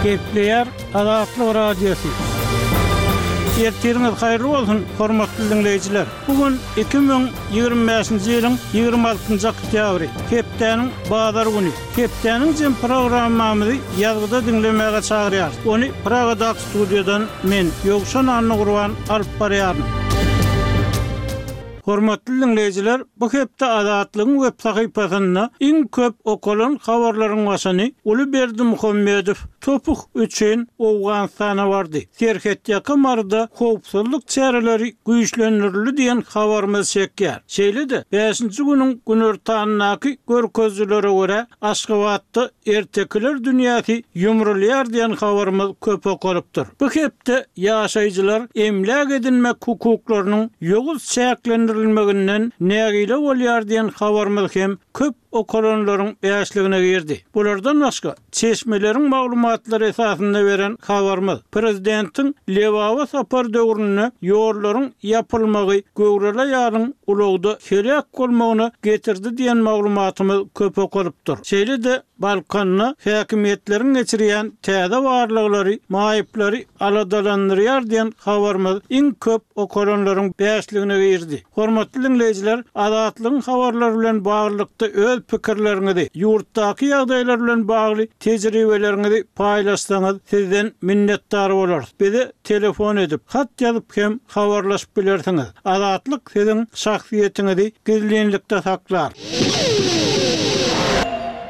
Gepleýär Azatlyk Radiosy. Ertiriňiz haýyrly bolsun, hormatly diňleýjiler! Bu gün 2025-nji ýylyň 26-njy oktýabry, hepdäniň bazar güni. Hepdäniň jem programmamyzy ýazgyda diňlemäge çagyrýarys. Ony Pragadaky studiýadan men, Ýowşan Annagurban alyp barýaryn. Hormatly diňleýjiler, bu hepde Azatlygyň web sahypasynda iň köp okalan habarlaryň başyny Uly Berdimuhamedow topuk üçin Owganystana bardy, serhetýaka Maryda howpsuzlyk çäreleri güýçlendirildi diýen habarymyz çekýär. Şeýle-de, bäşinji günüň günortanyndaky görkezijilere görä, Aşgabatda ertekiler dünýäsi ýumrulýar diýen habarymyz köp okalypdyr. Bu hepde ýaşaýjylar emläk edinmek hukuklarynyň ýowuz çäklendirilmeginden nägile bolýar diýen habarymyz hem köp okalanlaryň bäşligine girdi. Bulardan başga, çeşmeleriň maglumatlary esasynda beren habarymyz, prezidentiň Lebaba sapary döwründe ýollaryň ýapylmagy göwreli aýalyň ulagda heläk bolmagyna getirdi diýen maglumatymyz köp okalypdyr. Şeýle-de, Balkanda häkimiýetleriň geçirýän täze barlaglary maýyplary aladalandyrýar diýen habarymyz iň köp okalanlaryň bäşligine girdi. Hormatly diňleýjiler, Azatlygyň habarlary bilen baglylykda öz pikirleriňizi, ýurtdaky ýagdaýlar bilen bagly tejribeleriňizi paýlaşsaňyz sizden minnetdar bolarys. Bize telefon edip, hat ýazyp hem habarlaşyp bilersiňiz. Azatlyk siziň şahsyýetiňizi gizlinlikde saklar.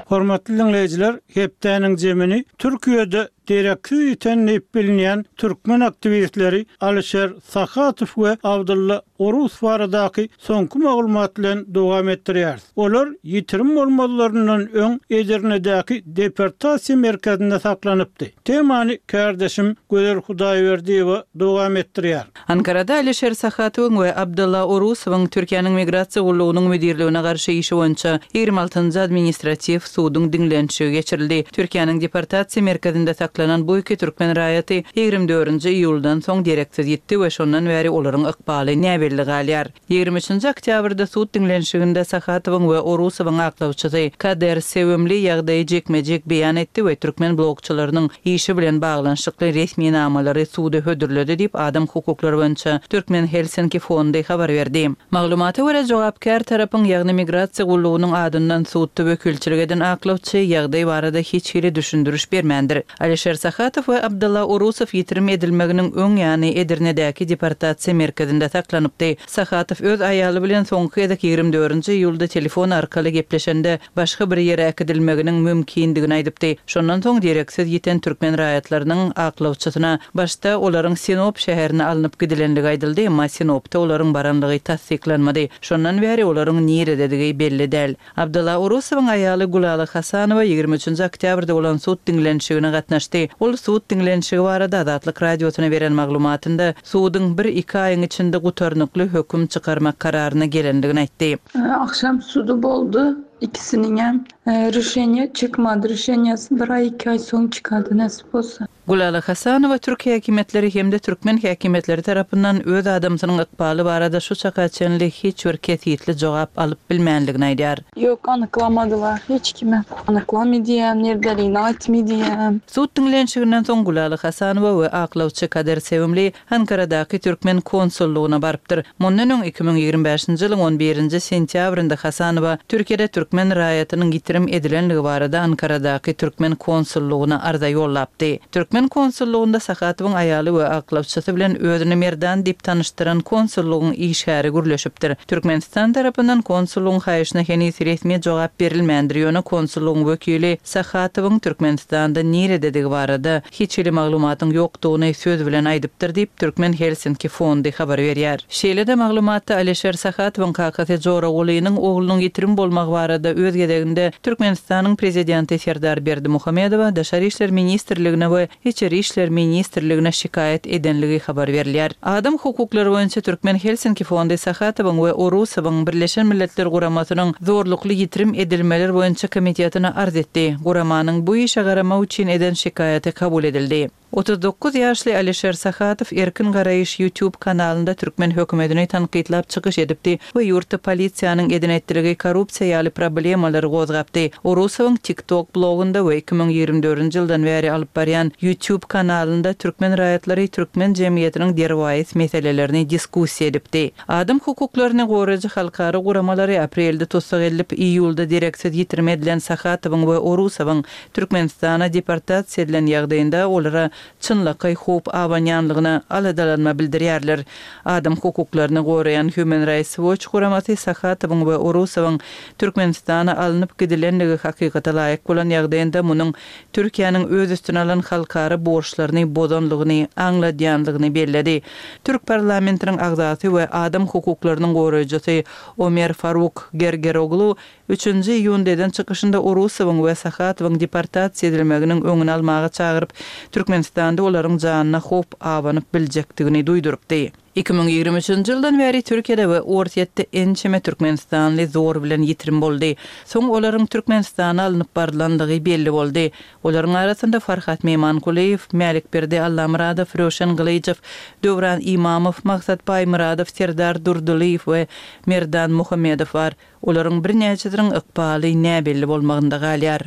Hormatly diňleýjiler, hepdäniň jemini Türkiýede dereksiz ýiten diýip bilinýän türkmen aktiwistleri Alişer Sahatow we Abdylla Orusow baradaky soňky maglumat bilen dowam etdirýäris. Olar ýitirim bolmazlaryndan öň Edirnedäki deportasiýa merkezinde saklanypdy. Temany kärdeşim Gözel Hudaýberdiýewa dowam etdirýär. Ankarada Alişer Sahatowyň we Abdylla Orusowyň Türkiýäniň Migrasiýa gullugynyň müdirligine garşy işi boýunça 26-njy administratiw suduň diňlenişigi geçirildi. Türkiýäniň deportasiýa merkezinde saklanan bu iki türkmen raýaty 24-nji iýuldan soň dereksiz ýitdi we şondan bäri olaryň ykbaly näbelli galýar. 23-nji oktýabrda sud diňlenişiginde Sahatowyň we Orusowyň aklawçysy Kader Sewimli ýagdaýy jikme-jik beýan etdi we türkmen blogçylarynyň işi bilen baglanyşykly resminamalary suda hödürledi diýip, adam hukuklary boýunça Türkmen Helsinki fondy habar berdi. Maglumata görä, jogapkär tarapyň, ýagny migrasiýa gullugynyň adyndan sudda wekilçilik eden aklawçy ýagdaý barada hiç hili düşündiriş bermändir. Alişer Sahatow we Abdylla Orusow ýitirim edilmeginiň öň ýany Edirnedäki deportasiýa merkezinde saklanypdy. Sahatow öz aýaly bilen soňky gezek 24-nji iýulda telefon arkaly gepleşende, başga bir ýere äkidilmeginiň mümkindigini aýdypdy. Şondan soň dereksiz ýiten türkmen raýatlarynyň aklawçysyna başda olaryň Sinop şäherine alnyp gidilenligi aýdyldy, emma Sinopda olaryň baranlygy tassyklanmady. Şondan bäri olaryň nirededigi belli däl. Abdylla Orusowyň aýaly Gülala Hasanowa 23-nji oktýabrda bolan sud diňlenişigine gatnaşdy. Ol sud diňlenişigi barada Azatlyk Radiosyna beren maglumatynda suduň bir-iki aýyň içinde gutarnykly höküm çykarmak kararyna gelendigini aýtdy. Agşam sudy boldy ikisiniňem. Rişeniýe çykmady. Rişeniýesi bir aý iki aý soň çykady nesip bolsa. Gülala Hasanowa türk häkimiýetleri hem-de türkmen häkimiýetleri tarapyndan öz adamsynyň ykbaly barada şu çaka çenli hiç bir kesgitli jogap alyp bilmänligini aýdýar. Ýok, anyklamadylar hiç kimem. Anyklamy diýýän, nirdeligini aýtmy diýýän. Sud diňlenişiginden soň Gülala Hasanowa we aklawçy Kader Sewimli Ankaradaky türkmen konsullygyna barypdyr. Mundan öň, 2025-nji ýylyň on birinji sentýabrynda Hasanowa Türkiýede türkmen raýatynyň ýitirim edilenligi barada Ankaradaky türkmen konsullygyna arza ýollapdy. Türkmen konsullygynda Sahatowyň aýaly we aklawçysy bilen özüni Merdan diýip tanyşdyran konsullygyň işgäri gürleşipdir. Türkmenistan tarapyndan konsullygyň haýyşyna heniz resmi jogap berilmändir, ýöne konsullygyň wekili Sahatowyň Türkmenistanda nirededigi barada hiç hili maglumatyň ýokdugyny söz bilen aýdypdyr diýip, Türkmen Helsinki fondy habar berýär. Şeýle-de maglumatda Alişer Sahatowyň kakasy Joragulynyň oglunyň ýitirim bolmagy barada öz gezeginde Türkmenistanyň Prezidenti Serdar Berdimuhamedowa, Daşary işler ministrligine we Içeri işler ministrligine şikaýat edenligi habar berilýär. Adam hukuklary boýunça Türkmen Helsinki fondy Sahatowyň we Orusowyň Birleşen Milletler Guramasynyň zorlukly ýitirim edilmeler boýunça komitetine arz etdi. Guramanyň bu işe garamak üçin eden şikaýaty kabul edildi. 39 ýaşly Alişer Sahatow Erkin garaýyş YouTube kanalynda türkmen hökümetini tankytlap çykyş edipdi we ýurtda polisiýanyň eden-etdiligi, korrupsiýa ýaly problemalary gozgapdy. Orusowyň TikTok blogunda we 2024-nji ýyldan bäri alyp barýan YouTube kanalynda türkmen raýatlary türkmen jemgyýetiniň derwaýys meselelerini diskussiýa edipdi. Adam hukuklaryny goraýjy halkara guramalary aprelde tussag edilip, iýulda dereksiz ýitirim edilen Sahatowyň we Orusowyň Türkmenistana deportasiýa edilen ýagdaýynda olara çynlakaý howp abanýanlygyna aladalanma bildirýärler. Adam hukuklaryny goraýan Human Rights Watch guramasy Sahatowyň we Orusowyň Türkmenistana alnyp gidilenligi hakykata laýyk bolan ýagdaýynda munuň Türkiýäniň öz üstüne alan halkara borçlaryny bozanlygyny aňladýanlygyny belledi. Türk parlamentiniň agzasy we adam hukuklarynyň goraýjysy Omer Faruk Gergeroglu Üçünji iýunda eden çykyşynda Orusowyň we Sahatowyň deportasiýa edilmeginiň öňüni almaga çagyryp, Türkmenistanda olaryň janyna howp abanyp biljekdigini duýdurypdy. 2023-nji ýyldan bäri Türkiýede we Orsýetde ençeme türkmenistanly zor bilen ýitirim boldy. Soň olaryň Türkmenistana alnyp barylandygy belli boldy. Olaryň arasynda Farhat Meýmangulyýew, Mälikberdi Allamyradow, Röwşen Gylyjow, Döwran Imamow, Maksat Baýmyradow, Serdar Durdylyýew we Merdan Muhammedow bar. Olaryň birnäçesiniň ykbaly näbelli bolmagynda galýar.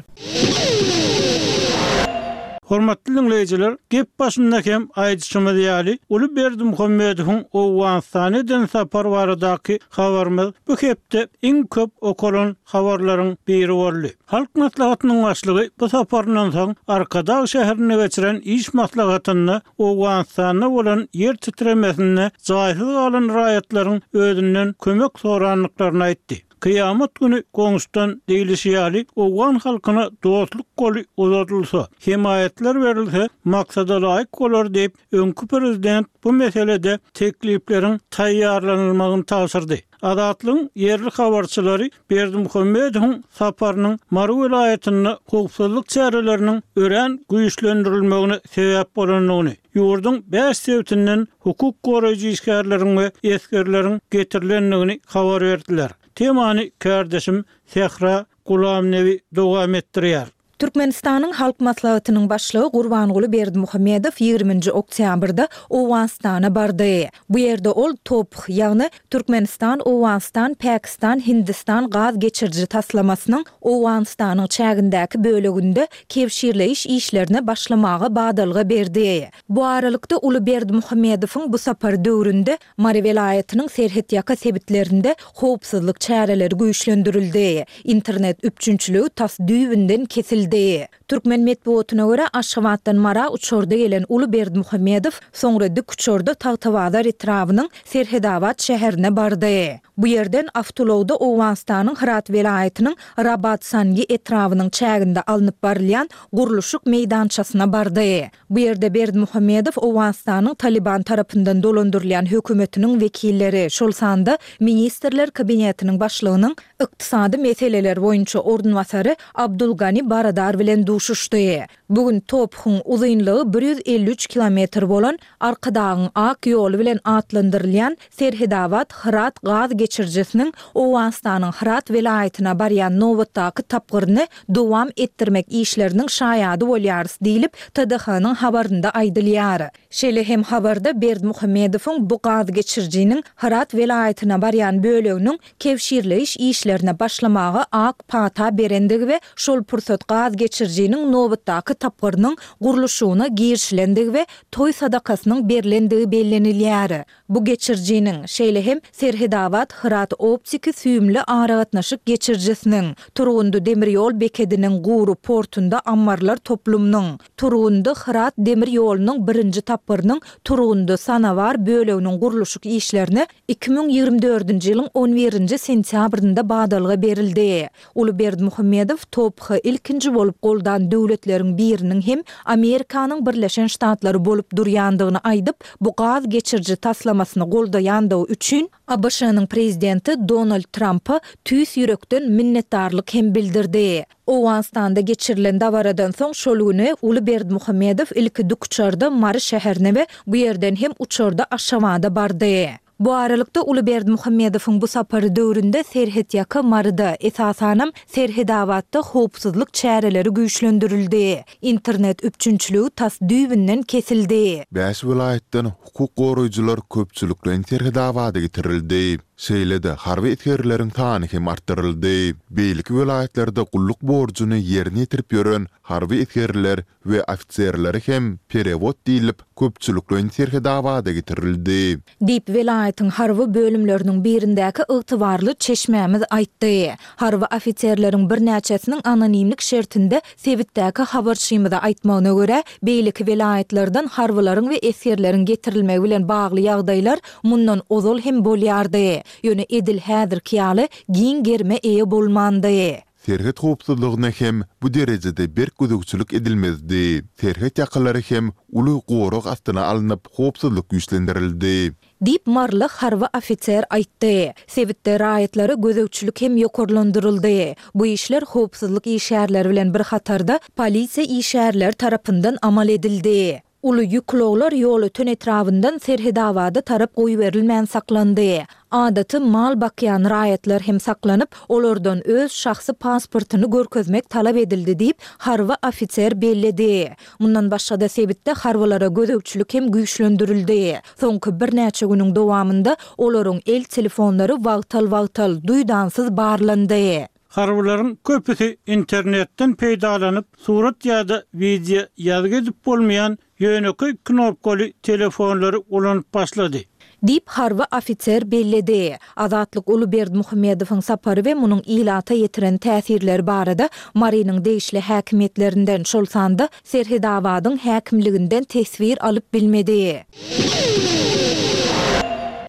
Hormatly diňleýjiler, gep başynda hem aýdyşymyz ýaly, uly Berdimuhamedowyň Owganystana eden sapary baradaky habarymyz bu hepde iň köp okalan habarlaryň biri boldy. Halk Maslahatynyň Başlygy bu saparyndan soň Arkadag şäherinde geçiren iş maslahatynda Owganystanda bolan ýer titremesinde jaýsyz galan raýatlaryň özünden kömek sorandyklaryny aýtdy. Kyýamat güni goňşudan diýlişi ýaly, owgan halkyna dostluk goly uzadylsa, hemaýatlar berilse maksada laýyk bolar diýip, öňki prezident bu meselede teklipleriň taýýarlanylmagyny tabşyrdy. Azatlygyň ýerli habarçylary Berdimuhamedowyň saparynyň Mary welaýatynda howpsuzlyk çäreleriniň örän güýçlendirilmegine sebäp bolandygyny, ýurduň bäş sebitinden hukuk goraýjy işgärleriň we esgerleriň getirilendigini habar berdiler. Temany kärdeşim Sähra Gulamnebi dowam etdirýär. Türkmenistanyň Halk Maslahatynyň Başlygy Gurbanguly Berdimuhamedow ýigriminji oktýabrda Owganystana bardy. Bu ýerde ol TOPH, ýagny Türkmenistan, Owganystan, Päkistan, Hindistan gaz geçiriji taslamasynyň Owganystanyň çägindäki böleginde kebşirleýiş işlerine başlamaga badalga berdi. Bu aralykda, uly Berdimuhamedowyň bu sapary döwründe Mary welaýatynyň serhetýaka sebitlerinde howpsuzlyk çäreleri güýçlendirildi, internet üpjünçiligi tas düýbünden kesildi. Türkmen metbugatyna görä, Aşgabatdan Mara uçarda gelen uly Berdimuhamedow soňra dikuçarda Tagtabazar etrabynyň Serhedabat şäherine bardy. Bu ýerden awtoulagda Owganystanyň Hyrat welaýatynyň Rabat-Sangi etrabynyň çäginde alnyp barylýan gurluşyk meýdançasyna bardy. Bu ýerde Berdimuhamedow Owganystanyň Talyban tarapyndan dolandyrylýan hökümetiniň wekilleri, şol sanda Ministrler Kabinetiniň başlygynyň ykdysady meseleler boýunça orunbasary Abdul Gani Baradar bilen duşuşdy. Bu gün TOPH-yň uzynlygy 153 kilometr bolan Arkadagyň ak ýoly bilen atlandyrylýan Serhedabat-Hyrat gaz geçirijisiniň Owganystanyň Hyrat welaýatyna barýan nobatdaky tapgyryny dowam etdirmek işleriniň şaýady bolýarys diýlip, TDH-nyň habarynda aýdylýar. Şeýle hem habarda Berdimuhamedowyň bu gaz geçirijiniň Hyrat welaýatyna barýan böleginiň kebşirleýiş işlerine başlamaga ak pata berendigi we şol pursat gaz geçirijiniň nobatdaky tapgyrynyň gurluşygyna girişilendigi we toý sadakasynyň berlendigi bellenilýär. Bu geçirijiniň, şeýle hem Serhedabat-Hyrat optiki süýümli aragatnaşyk geçirijisiniň, Turgundy demir ýol bekediniň gury portunda ammarlar toplumynyň, Turgundy-Hyrat demir ýolunyň birinji tapgyrynyň Turgundy-Sanabar böleginiň gurluşyk işlerine 2024-nji ýylyň on birinji sentýabrynda badalga berildi. Uly Berdimuhamedow TOPH-y ilkinji bolup goldan döwletleriň biriniň hem Amerikanyň Birleşen Ştatlary bolup durýandygyny aýdyp, bu gaz geçiriji taslamasyny goldaýandygy üçin ABŞ-nyň prezidenti Donald Trampa tüýs ýürekden minnetdarlyk hem bildirdi. Owganystanda geçirilen dabaradan soň şol güni Uly Berdimuhamedow ilki dikuçarda Mary şäherine we bu ýerden hem uçarda Aşgabada bardy. Bu aralykda, uly Berdimuhamedowyň bu sapary döwründe serhetýaka Maryda, esasanam, Serhedabatda howpsuzlyk çäreleri güýçlendirildi. Internet üpjünçiligi tas düýbünden kesildi. Bäş welaýatdan hukuk goraýjylar köpçülikleýin Serhedabada getirildi. Şeýle-de, harby esgerleriň sany hem artdyryldy. Beýleki welaýatlarda gulluk borjuny ýerine ýetirip ýören harby esgerler we ofiserleri hem perewod diýlip, köpçülikleýin Serhedabada getirildi. Diýip, welaýatyň harby bölümleriniň birindäki ygtybarly çeşmämiz aýtdy. Harby ofiserleriň birnäçesiniň anonimlik şertinde sebitdäki habarçymyza aýtmagyna görä, beýleki welaýatlardan harbylaryň we esgerleriň getirilmegi bilen bagly ýagdaýlar mundan ozal hem bolýardy, ýöne edil häzirki ýaly giň gerime eýe bolmandy. Serhet howpsuzlygyna hem bu derejede berk gözegçilik edilmezdi. Serhet ýakalary hem uly gorag astyna alnyp, howpsuzlyk güýçlendirildi. Diýip, maryly harby ofiser aýtdy. Sebitde raýatlara gözegçilik hem ýokarlandyryldy. Bu işler howpsuzlyk işgärleri bilen bir hatarda polisiýa işgärleri tarapyndan amal edildi. Uly ýük ulaglar Ýolöten etrabyndan Serhedabada tarap goýberilmän saklandy. Adaty mal bakýan raýatlar hem saklanyp, olardan öz şahsy pasportyny görkezmek talap edildi diýip, harby ofiser belledi. Mundan başga-da sebitde harbylara gözegçilik hem güýçlendirildi. Soňky birnäçe günüň dowamynda olaryň el telefonlary wagtal-wagtal, duýdansyz barlandy. Harbylaryň köpüsi internetden peýdalanyp, surat ýa-da wideo ýazgy edip bolmaýan ýönekeý knopkaly telefonlary ulanyp başlady. Diýip, harby ofiser belledi. Azatlyk uly Berdimuhamedowyň sapary we munuň ilata ýetiren täsirleri barada Marynyň degişli häkimiýetlerinden, şol sanda Serhedabadyň häkimliginden teswir alyp bilmedi.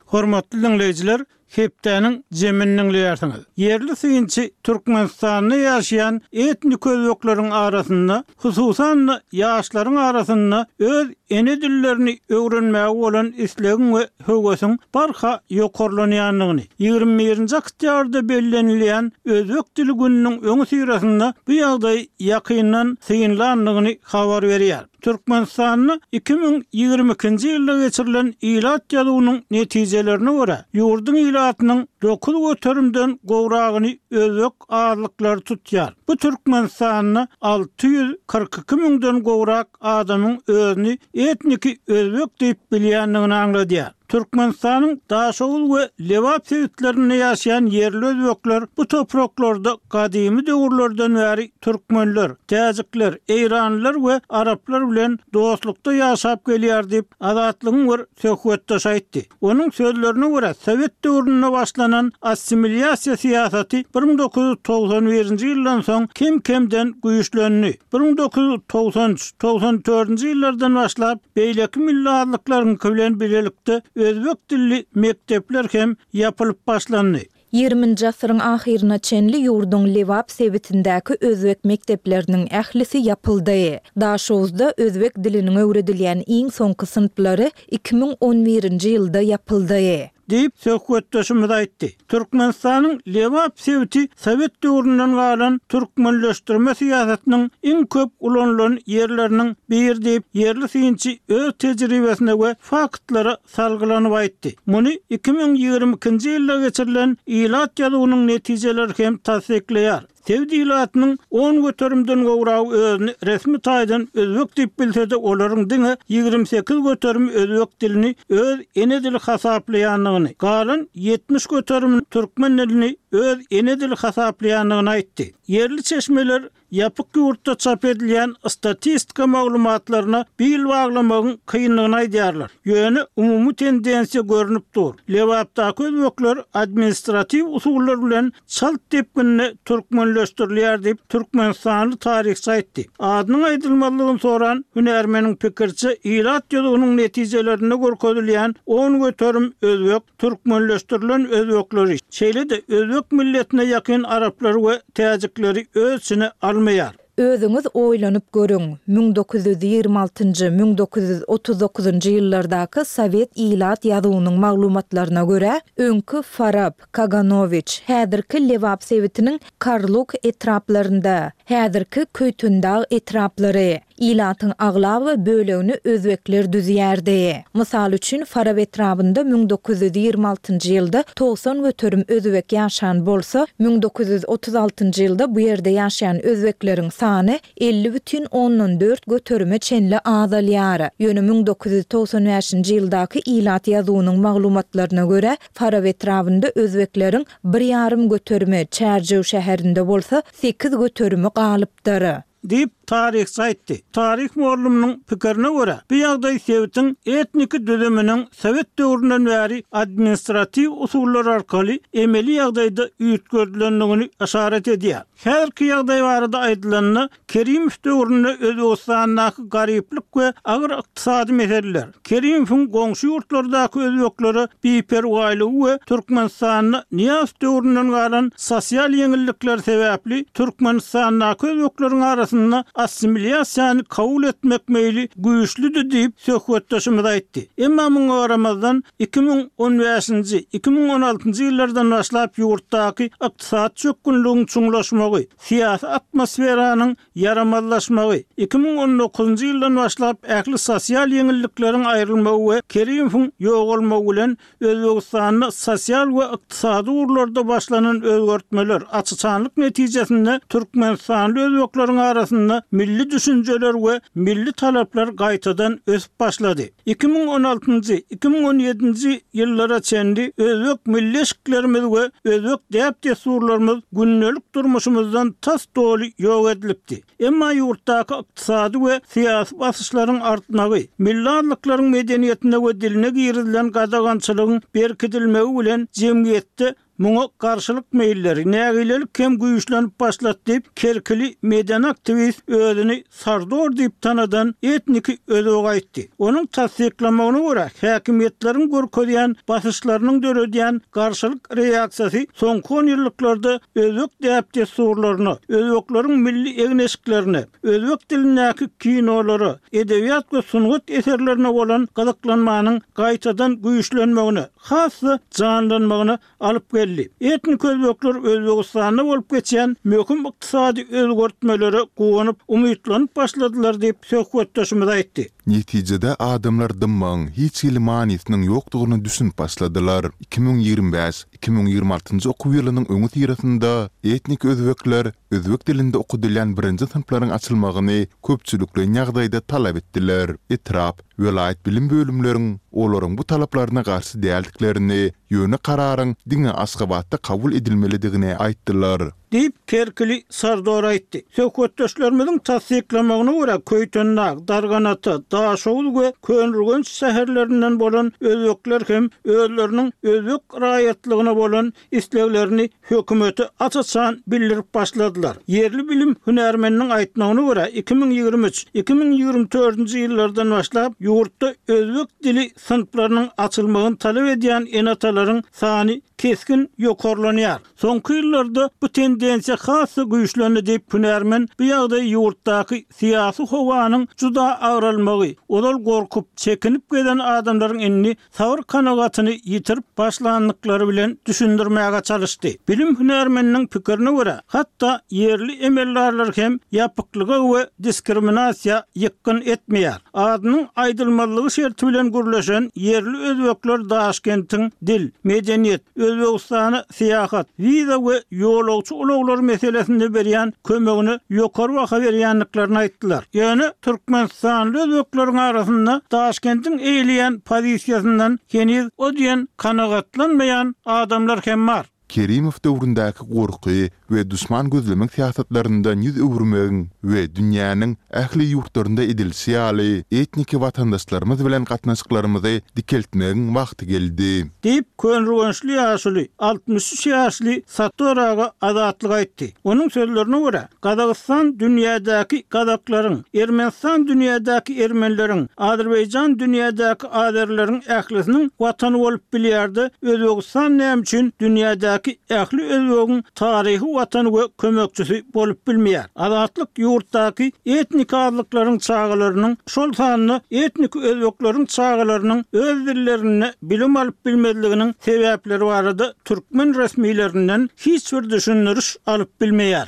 Hormatly diňleýjiler, Hepdäniň jemini diňleýärsiňiz. Ýerli synçy Türkmenistanda ýaşaýan etnik özbekleriň arasynda, hususan-da, ýaşlaryň arasynda öz ene dillerini öwrenmäge bolan islegiň we höwesiň barha ýokarlanýandygyny, 21-nji oktýabrda bellenilýän Özbek dili gününiň öňüsyrasynda bu ýagdaýy ýakyndan synlandygyny habar berýär. Türkmenistanda 2022-nji ýylda geçirilen ilat ýazuwynyň netijelerine görä, ýurduň ilatynyň dokuz göterimden gowragyny özbek azlyklary tutýar. Bu Türkmenistanda 642 müňden gowrak adamyň özüni etniki özbek diýip bilýändigini aňladýar. Türkmenistanyň Daşoguz we Lebap sebitlerinde ýaşaýan ýerli özbekler bu topraklarda gadymy döwürlerden bäri türkmenler, täjikler, eýranlylar we araplar bilen dostlukda ýaşap gelýär diýip, Azatlygyň bir söhbetdeşi aýtdy. Onuň sözlerine görä, sowet döwründe başlanan assimilýasiýa syýasaty 1991-nji ýyldan soň kem-kemden güýçlendi. 1993, 94-nji ýyllardan başlap, Beýleki milli azlyklaryňky bilen bilelikde özbek dilli mekdepler hem ýapylyp başlandy. Ýigriminji asyryň ahyryna çenli ýurduň Lebap sebitindäki özbek mekdepleriniň ählisi ýapyldy. Daşoguzda özbek diliniň öwredilýän iň soňky synplary 2011-nji ýylda ýapyldy. Diýip, söhbetdeşimiz aýtdy. Türkmenistanyň Lebap sebiti sowet döwründen galan türkmenleşdirme syýasatynyň iň köp ulanylan ýerleriniň biri diýip, ýerli synçy öz tejribesine we faktlara salgylanyp aýtdy. Muny 2022-nji ýylda geçirilen ilat ýazuwynyň netijeleri hem tassyklaýar. Sebit ilatynyň on göterimden gowragy özüni resmi taýdan özbek diýip bilse-de, olaryň diňe 28 göterimi özbek dilini öz ene dili hasaplaýandygyny, galan 70 göterimi türkmen dilini öz ene dili hasaplaýandygyny aýtdy. Ýerli çeşmeler ýapyk ýurtda çap edilýän statistika maglumatlaryna bil baglamagyň kyndygyny aýdýarlar. Ýöne umumy tendensiýa görnüp dur. Lebapdaky özbekler administratiw usullar bilen çalt depginde türkmenleşdirilýär diýip, türkmenistanly taryhçy aýtdy. Adynyň aýdylmazlygyny soran hünärmeniň pikiriçe, ilat ýazuwynyň netijelerinde görkezilýän 10% özbek, türkmenleşdirilen özbekleri, şeýle-de özbek milletine ýakyn araplary we täjikleri öz içine almaýar. Özüňiz oýlanyp görüň, 1926-njy, 1939-njy ýyllardaky sowet ilat ýazuwynyň maglumatlaryna görä, öňki Farap, Kaganowiç, häzirki Lebap sebitiniň Karluk etraplarynda, häzirki Köýtendag etraplary. Ilatyň aglaba bölegini özbekler düzýärdi. Mysal üçin, Farap etrabynda 1926-njy ýylda 90% özbek ýaşan bolsa, 1936-njy ýylda bu ýerde ýaşaýan özbekleriň sany 50,4 göterime çenli azalýar. Ýöne 1995-nji ýyldaky ilat ýazuwynyň maglumatlaryna görä, Farap etrabynda özbekleriň bir ýarym göterimi, Çärjew şäherinde bolsa sekiz göterimi galypdyr. Diýip, taryhçy aýtdy. Taryh mugallymynyň pikirine görä, bu ýagdaý sebitiň etniki düzüminiň sowet döwründen bäri administratiw usullar arkaly emeli ýagdaýda üýtgedilendigini yşarat edýär. Häzirki ýagdaý barada aýdylanda, Kerimow döwründe Özbegistandaky garyplyk we agyr ykdysady meseleler, Kerimowyň goňşy ýurtlardaky özbeklere biperwaýlygy we Türkmenistanda Nyýazow döwründen galan sosial ýeňillikler sebäpli Türkmenistandaky özbekleriň arasynda assimilýasiýany kabul etmek meýli güýçlüdi diýip, söhbetdeşimiz aýtdy. Emma muňa garamazdan, 2015-nji, 2016-njy ýyllardan başlap ýurtdaky ykdysady çökgünligiň çuňlaşmagy, syýasy atmosferanyň ýaramazlaşmagy, 2019-njy ýyldan başlap ähli sosial ýeňillikleriň aýrylmagy we Kerimowyň ýogalmagy bilen Özbegistanda sosial we ykdysady ugurlarda başlanan özgertmeler, açyçanlyk netijesinde türkmenistanly özbekleriň arasynda milli düşünjeler we milli talaplar gaýtadan ösüp başlady. 2016-njy, 2017-nji ýyllara çenli özbek milli eşiklerimiz we özbek däp-dessurlarymyz gündelik durmuşymyzdan tas doly ýok edilipdi. Emma ýurtdaky ykdysady we syýasy basyşlaryň artmagy, milli azlyklaryň medeniýetine we diline girizilen gadagançylygyň berkidilmegi bilen jemgyýetde Muňa garşylyk meýilleri, nägilelik hem güýçlenip başlady diýip, kerkili medeni aktiwist özüni Sardor diýip tanadan etniki özbek aýtdy. Onuň tassyklamagyna görä, häkimiýetleriň görkezýän basyşlarynyň döredýän garşylyk reaksiýasy soňky onýyllyklarda özbek däp-dessurlaryna, özbekleriň milli egin-eşiklerine, özbek dilindäki kinolara, edebiýat we sungat eserlerine bolan gyzyklanmanyň gaýtadan güýçlenmegine, has-da janlanmagyna alyp geldi. Etnik özbekler Özbegistanda bolup geçýän möhüm ykdysady özgertmelere guwanyp, umytlanyp başladylar diýip, söhbetdeşimiz aýtdy. Netijede adamlar dymmagyň hiç hili manysynyň ýokdugyna düşünip başladylar. 2025, 2026 okuw ýylynyň öňüsyrasynda etnik özbekler özbek dilinde okadylýan birinji synplaryň açylmagyny köpçülikleýin ýagdaýda talap etdiler. Etrap, Welaýat bilim bölümleriň olaryň bu talaplaryna garşy däldiklerini, ýöne kararyň diňe Aşgabatda kabul edilmelidigini aýtdylar. Diýip, kerkili Sardor aýtdy. Söhbetdeşlerimiziň tassyklamagyna görä, Köýtendag, Darganata, Daşoguz we Köneürgenç şäherlerinden bolan özbekler hem özleriniň özbek raýatlygyna bolan isleglerini hökümete aç-açan bildirip başladylar. Ýerli bilim hünärmeniniň aýtmagyna görä, 2023, 2024-nji ýyllardan başlap ýurtda özbek dili synplarynyň açylmagyny talap edýän ene-atalaryň sany kesgin ýokarlanýar. Soňky ýyllarda bu tendensiýa has-da güýçlendi diýip, hünärmen bu ýagdaýy ýurtdaky syýasy howanyň juda agralmagy, ozal gorkup, çekinip gezen adamlaryň indi sabyr-kanagatyny ýitirip başlandyklary bilen düşündirmäge çalyşdy. Bilim hünärmeniniň pikirine görä, hatda ýerli emeldarlar hem ýapyklyga we diskriminasiýa ýykgyn etmeýär. Adynyň aýdylmazlygy şerti bilen gürleşen ýerli özbekler Daşkentiň dil, medeniýet, Özbegistana syýahat, wiza we ýolagçy ulaglary meselesinde berýän kömegine ýokary baha berýändiklerini aýtdylar. Ýöne türkmenistanly özbekleriň arasynda Daşkentiň eýeleýän pozisiýasyndan heniz o diýen kanagatlanmaýan adamlar hem bar. Kerimow döwründäki gorky we duşman gözlemek syýasatlaryndan ýüz öwürmegiň we dünýäniň ähli ýurtlarynda edilişi ýaly, etniki watandaşlarymyz bilen gatnaşyklarymyzy dikeltmegiň wagty geldi. Diýip, köneürgençli ýaşuly, 63 ýaşly Sattor aga Azatlyga aýtdy. Onuň sözlerine görä, Gazagystan dünýädäki gazaklaryň, Ermenistan dünýädäki ermenileriň, Azerbaýjan dünýädäki azerileriň ählisiniň watany bolup bilýärdi, Özbegistan näme üçin dünýädäki ähli özbegiň taryhy watany we kömekçisi bolup bilmeýär? Azatlyk ýurtdaky etniki azlyklaryň çagalarynyň, şol sanda etniki özbekleriň çagalarynyň öz dillerinde bilim alyp bilmezliginiň sebäpleri barada türkmen resmilerinden hiç bir düşündiriş alyp bilmeýär.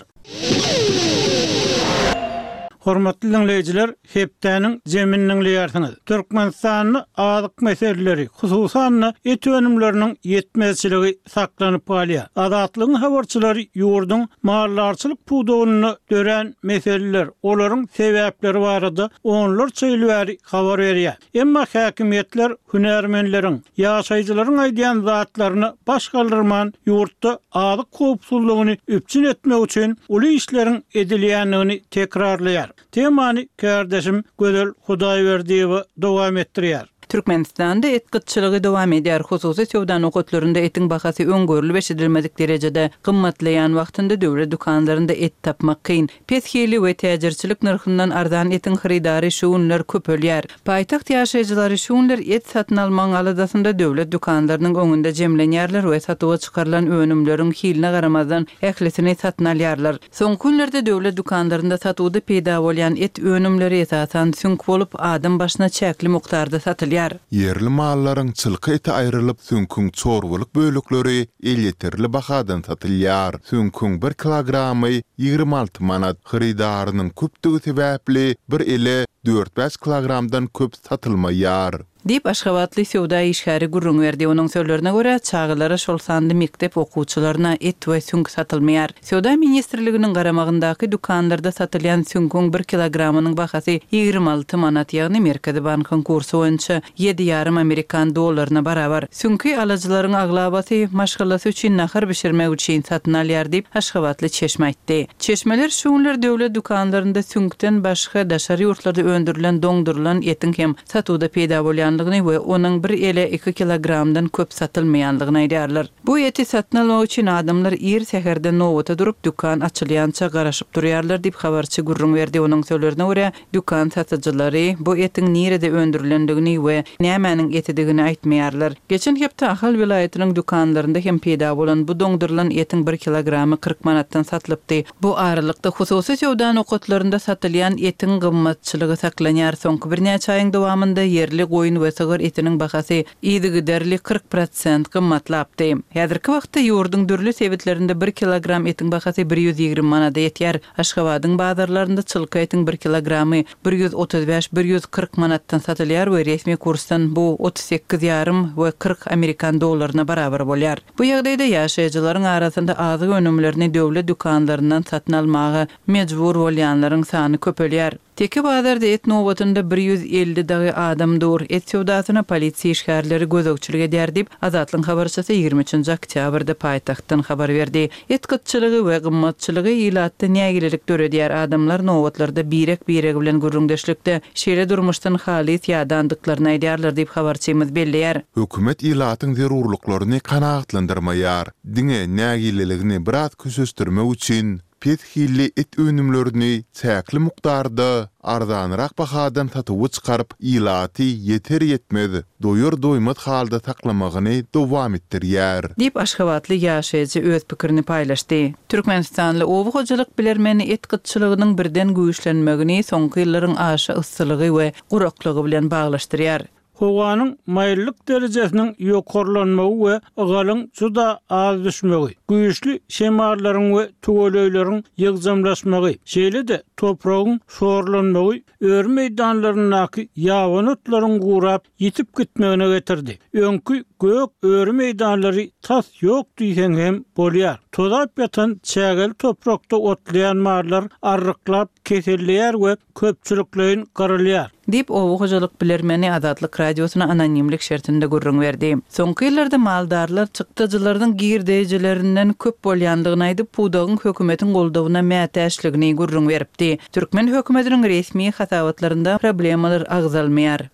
Hormatly diňleýjiler, hepdäniň jemini diňleýärsiňiz. Türkmenistanda azyk meseleleri, hususan-da, et önümleriniň ýetmezçiligi saklanyp galýar. Azatlygyň habarçylary ýurduň maldarçylyk pudagynda dörän meseleler, olaryň sebäpleri barada onlarça ýyl bäri habar berýär. Emma häkimiýetler hünärmenleriň, ýaşaýjylaryň aýdýan zatlaryna baş galdyrman, ýurtda azyk howpsuzlygyny üpjün etmek üçin uly işleriň edilýändigini tekrarlaýar. Temany kärdeşim Gözel Hudaýberdiýewa dowam etdirýär. Türkmenistanda et gytçylygy dowam edýär. Hususy söwda nokatlarynda etiň bahasy öň görlüp-eşidilmedik derejede gymmatlaýan wagtynda döwlet dükanlarynda et tapmak kyn. Pes hili we täjirçilik nyrhyndan arzan etiň hyrydary şu günler köpelýär. Paýtagt ýaşaýjylary şu günler et satyn almagyň aladasynda döwlet dükanlarynyň öňünde jemlenýärler we satuwa çykarylan önümleriň hiline garamazdan ählisini satyn alýarlar. Soňky günlerde döwlet dükanlarynda satuwda peýda bolýan et önümleri esasan süňk bolup, adam başyna çäkli mukdarda satylýar. Ýerli mallaryň çylka eti aýrylyp, süňküň çorbalyk bölekleri elýeterli bahadan satylýar. Süňküň bir kilogramy 26 manat. Hyrydarynyň köpdügi sebäpli bir ele dört-bäş kilogramdan köp satylmaýar. Diýip, aşgabatly söwda işgäri gürrüň berdi. Onuň sözlerine görä, çagalara, şol sanda mekdep okuwçylaryna et we süňk satylmaýar. Söwda ministrliginiň garamagyndaky dükanlarda satylýan süňküň bir kilogramynyň bahasy 26 manat, ýagny Merkezi bankyň kursy boýunça ýedi ýarym amerikan dollaryna barabar. Süňki alyjylaryň aglabasy maşgalasy üçin nahar bişirmek üçin satyn alýar diýip, aşgabatly çeşme aýtdy. Çeşmeler şu günler döwlet dükanlarynda süňkden başga daşary ýurtlarda öndürilen doňdurylan etiň hem satuwda peýda bolýandygyny we onuň bir ele iki kilogramdan köp satylmaýandygyny aýdýarlar. Bu eti satyn almak üçin adamlar ir säherden nobata durup, dükan açylýança garaşyp durýarlar diýip, habarçy gürrüň berdi. Onuň sözlerine görä, Dükan satyjylary bu etiň nirede öndürilendigini we nämäniň etidigini aýtmaýarlar. Geçen hepde Ahal welaýatynyň dükanlarynda hem peýda bolan bu doňdurylan etiň bir kilogramy 40 manatdan satylypdy. Bu aralykda, hususy söwda nokatlarynda satylýan etiň gymmatçylygy saklanýar. Soňky birnäçe aýyň dowamynda ýerli goýun we sygyr etiniň bahasy yzygiderli 40 prosent gymmatlapdy. Häzirki wagtda ýurduň dürli sebitlerinde bir kilogram etiň bahasy 120 manada ýetýär. Aşgabadyň bazarlarynda çylka etiň bir kilogramy 135, 140 manatdan satylýar we resmi kursdan bu 38 ýarym we 40 amerikan dollaryna barabar bolýar. Bu ýagdaýda ýaşaýjylaryň arasynda azyk önümlerini döwlet dükanlaryndan satyn almaga mejbur bolýanlaryň sany köpelýär. Teke bazarda et nobatynda 150 dagy adam dur. Et söwdasyna polisiýa işgärleri gözegçilik edýär diýip, Azatlygyň habarçysy 23-nji oktýabrda paýtagtdan habar berdi. Et gytçylygy we gymmatçylygy ilatda nägilelik döredýär, adamlar nobatlarda birek-biregi bilen gürrüňdeşlikde şeýle durmuşdan halys ýadandyklaryny aýdýarlar diýip, habarçymyz belleýär. Hökümet ilatyň zerurlyklaryny kanagatlandyrmaýar, diňe nägileligini biraz köşeşdirmek üçin Pes hilli et önümlerini çäkli mukdarda arzanrak bahadan satuwa çykaryp, ilaty ýeter-ýetmez, doýar-doýmaz halda saklamagyny dowam etdirýär. Diýip, aşgabatly ýaşaýjy öz pikirini paýlaşdy. Türkmenistanly oba hojalyk bilermeni et gytçylygynyň birden güýçlenmegini soňky ýyllaryň aşa yssylygy we guraklygy bilen baglaşdyrýar. Howanyň maýyllyk derejesiniň ýokarlanmagy we ygalyň juda az düşmegi, güýçli şemallaryň we tüweleýleriň ýygjamlaşmagy, şeýle-de topragyň şorlanmagy öri meýdanlaryndaky ýabany otlaryň gurap, ýitip gitmegine getirdi. Öňki gök öri meýdanlary tas ýok diýseň hem bolýar. Tozap ýatan çägeli toprakda otlaýan mallar arryklap keselleýär we köpçülikleýin gyrylýar. Diýip, oba hojalyk bilermeni Azatlyk Radiosyna anonimlik şertinde gürrüň berdi. Soňky ýyllarda maldarlar çykdajylarynyň girdejilerinden köp bolýandygyny aýdyp, pudagyň hökümetiň goldawyna mätäçligini gürrüň beripdi. Türkmen hökümetiniň resmi hasabatlarynda problemalar agzalmaýar.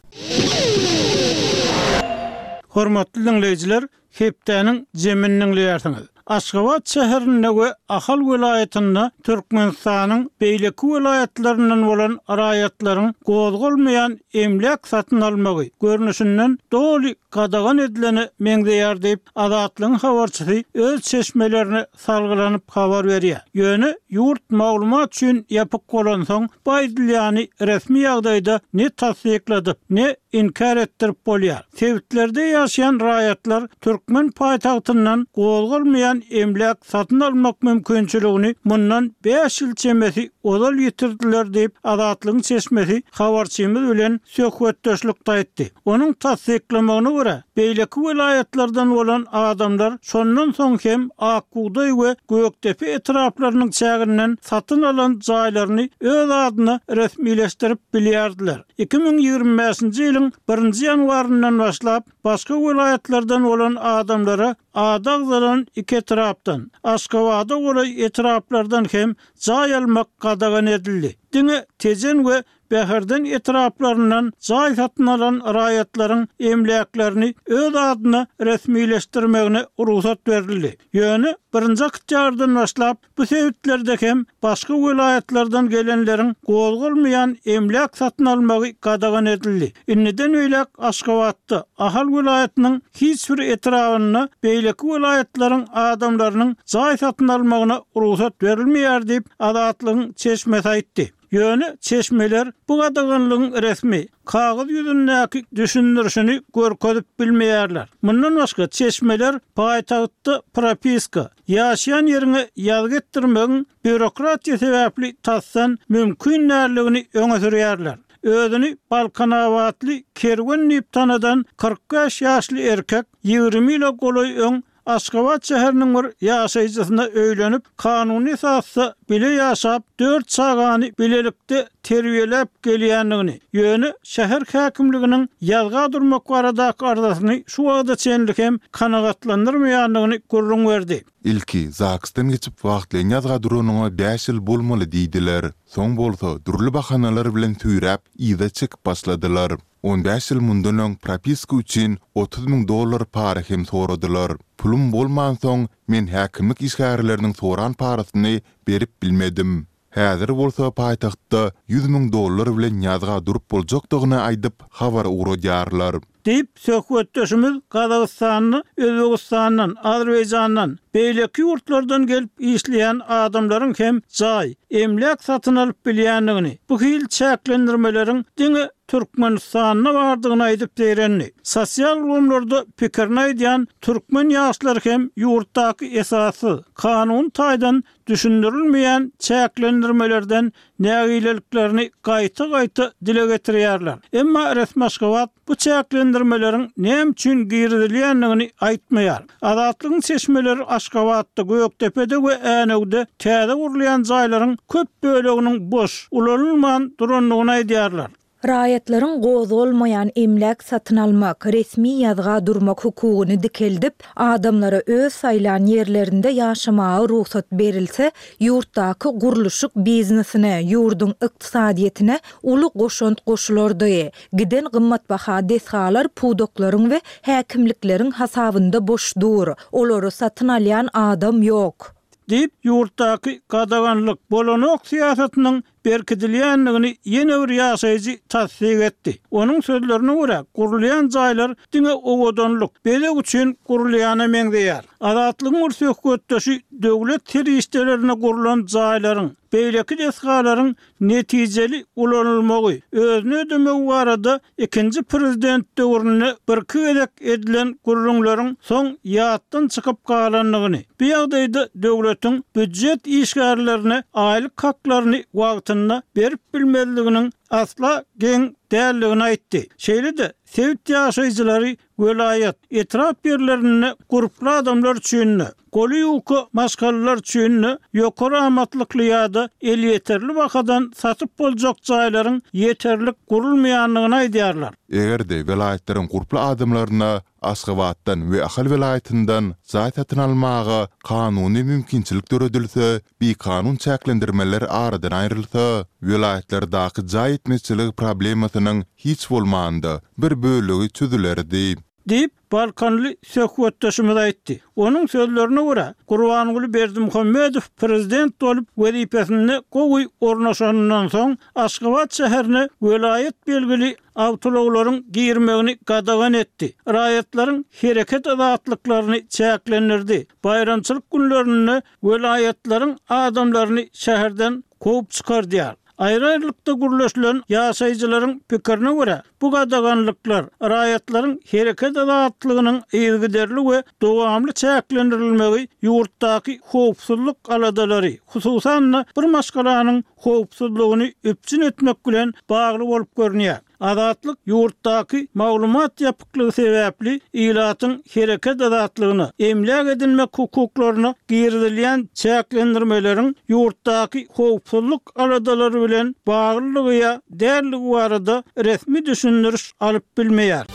Hormatly diňleýjiler, Hepdäniň jemini diňleýärsiňiz. Aşgabat şäherinde we Ahal welaýatynda Türkmenistanyň beýleki welaýatlaryndan bolan raýatlaryň gozgalmaýan emläk satyn almagy, görnüşinden, doly gadagan edilene meňzeýär diýip, Azatlygyň habarçysy öz çeşmelerine salgylanyp habar berýär. Ýöne ýurt maglumat üçin ýapyk bolansoň, bu aýdylýany resmi ýagdaýda ne tassykladyp, ne inkär etdirip bolýar. Sebitlerde ýaşaýan raýatlar türkmen paýtagtyndan gozgalmaýan. gozgalmaýan emläk satyn almak mümkinçiligini mundan bäş ýyl çemesi ozal ýitirdiler diýip, Azatlygyň çeşmesi habarçymyz bilen söhbetdeşlikde aýtdy. Onuň tassyklamagyna görä, beýleki welaýatlardan bolan adamlar şondan soň hem Ak bugdaý we Gökdepe etraplarynyň çäginden satyn alan jaýlaryny öz adyna resmileşdirip bilýärdiler. 2025-nji ýylyň birinji ýanwaryndan başlap, başga welaýatlardan bolan adamlara ady agzalan iki etrapdan, Aşgabada golaý etraplardan hem jaý almak gadagan edildi. Diňe Tejen we Bäherden etraplaryndan jaý satyn alan raýatlaryň emläklerini öz adyna resmileşdirmegine rugsat berildi. Ýöne birinji oktýabrdan başlap, bu sebitlerde hem başga welaýatlardan gelenleriň gozgalmaýan emläk satyn almagy gadagan edildi. Indiden beýläk Aşgabatda, Ahal welaýatynyň hiç bir etrabynda beýleki welaýatlaryň adamlarynyň jaý satyn almagyna rugsat berilmeýär diýip, Azatlygyň çeşmesi aýtdy. Ýöne çeşmeler bu gadaganlygyň resmi, kagyz ýüzündäki düşündirişini görkezip bilmeýärler. Mundan başga, çeşmeler paýtagtda propiska, ýaşaýan ýeriňe ýazgy etdirmegiň býurokratiýa sebäpli tasdan mümkin däldigini öňe sürýärler. Özüni balkanabatly Kerwen diýip tanadan 45 ýaşly erkek 20 ýyla golaý öň Aşgabat şäheriniň bir ýaşaýjysyna öýlenip, kanuny esasda bile ýaşap, dört çagany bilelikde terbiýeläp gelýändigini, ýöne şäher häkimliginiň ýazga durmak baradaky arzasyny şu wagta çenli hem kanagatlandyrmaýandygyny gürrüň berdi. Ilki ZAGS-dan geçip wagtlaýyn ýazga duranyňa bäş ýyl bolmaly diýdiler. Soň bolsa dürli bahanalar bilen süýräp, yza çekip başladylar. On bäş ýyl mundan öň propiska üçin 30 müň dollar para hem soradylar. Pulum bolmansoň, men häkimlik işgärleriniň soran parasyny berip bilmedim. Häzir bolsa paýtagtda 100 müň dollar bilen ýazga durup boljakdygyny aýdyp, habar ugradýarlar. Diýip, söhbetdeşimiz Gazagystanda Özbegistandan, Azerbaýjandan, beýleki ýurtlardan gelip işleýän adamlaryň hem jaý, emläk satyn alyp bilýändigini, bu hili çäklendirmeleriň diňe Türkmenistanda bardygyny aýdyp zeýrendi. Sosial ulgamlarda pikirini aýdýan türkmen ýaşlary hem ýurtdaky esassyz, kanuny taýdan düşündirilmeýän çäklendirmelerden nägileliklerini gaýta-gaýta dile getirýärler. Emma resmi Aşgabat bu çäklendirmeleriň näme üçin girizilýändigini aýtmaýar. Azatlygyň çeşmeleri Aşgabatda, Gökdepede we Änewde täze gurulýan jaýlaryň köp böleginiň boş, ulanylman durandygyny aýdýarlar. Raýatlaryň gozgalmaýan emläk satyn almak, resmi ýazga durmak hukugyny dikeldip, adamlara öz saýlan ýerlerinde ýaşamaga rugsat berilse, ýurtdaky gurluşyk biznesine, ýurduň ykdysadyýetine uly goşant goşulardy. Giden gymmatbaha desgalar pudaklaryň we häkimlikleriň hasabynda boş dur. Olary satyn alýan adam ýok. Diýip, ýurtdaky gadaganlyk, bolanok syýasatynyň berkidilýändigini ýene bir ýaşaýjy tassyk etdi. Onuň sözlerine görä, gurulýan jaýlar diňe owadanlyk, bezeg üçin gurulýana meňzeýär. Azatlygyň bir söhbetdeşi döwlet serişdelerine gurlan jaýlaryň, beýleki desgalaryň netijeli ulanylmagy, özüni ödemegi barada ikinji prezident döwründe birki gezek edilen gürrüňleriň soň ýatdan çykyp galandygyny, bu ýagdaýda döwletiň býujet işgärlerine aýlyk haklaryny wagtynda berip bilmezliginiň asla geň däldigini aýtdy. Şeýle-de, sebit ýaşaýjylary Welaýat, etrap ýerlerinde gurply adamlar üçin-de, goly ýuka maşgalalar üçin-de ýokary amatlykly ýa-da elýeterli bahadan satyp boljak jaýlaryň ýeterlik gurulmaýandygyny aýdýarlar. Eger-de welaýatlaryň gurply adamlaryna Aşgabatdan we Ahal welaýatyndan jaý satyn almaga kanuny mümkinçilik döredilse, bikanun çäklendirmeler aradan aýrylsa, welaýatlardaky jaý ýetmezçiligi problemasynyň hiç bolmanda, bir bölegi çözülerdi. Diýip, balkanly söhbetdeşimiz aýtdy. Onuň sözlerine görä, Gurbanguly Berdimuhamedow prezident bolup wezipesinde gowy ornaşanyndan soň, Aşgabat şäherine welaýat belgili awtoulaglaryň girmegini gadagan etdi, raýatlaryň hereket azatlyklaryny çäklendirdi, baýramçylyk günlerinde welaýatlaryň adamlaryny şäherden kowup çykardýar. Aýry-aýrylykda gürleşilen ýaşaýjylaryň pikirine görä, Bu gadaganlyklar raýatlaryň hereket azatlygynyň yzygiderli we dowamly çäklendirilmegi ýurtdaky howpsuzlyk aladalary, hususan-da, bir maşgalanyň howpsuzlygyny üpjün etmek bilen bagly bolup görünýär. Azatlyk ýurtdaky maglumat ýapyklygy sebäpli ilatyň hereket azatlygyna, emläk edinmek hukuklaryna girizilýän çäklendirmeleriň ýurtdaky howpsuzlyk aladalary bilen baglylygy ýa däldigi barada resmi düşündiriş alyp bilmeýär.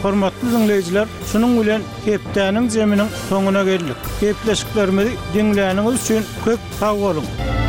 Hormatly diňleýjiler, şunuň bilen hepdäniň zeminiň soňuna geldik. Gepleşiklerimizi diňläniňiz üçin köp sag boluň!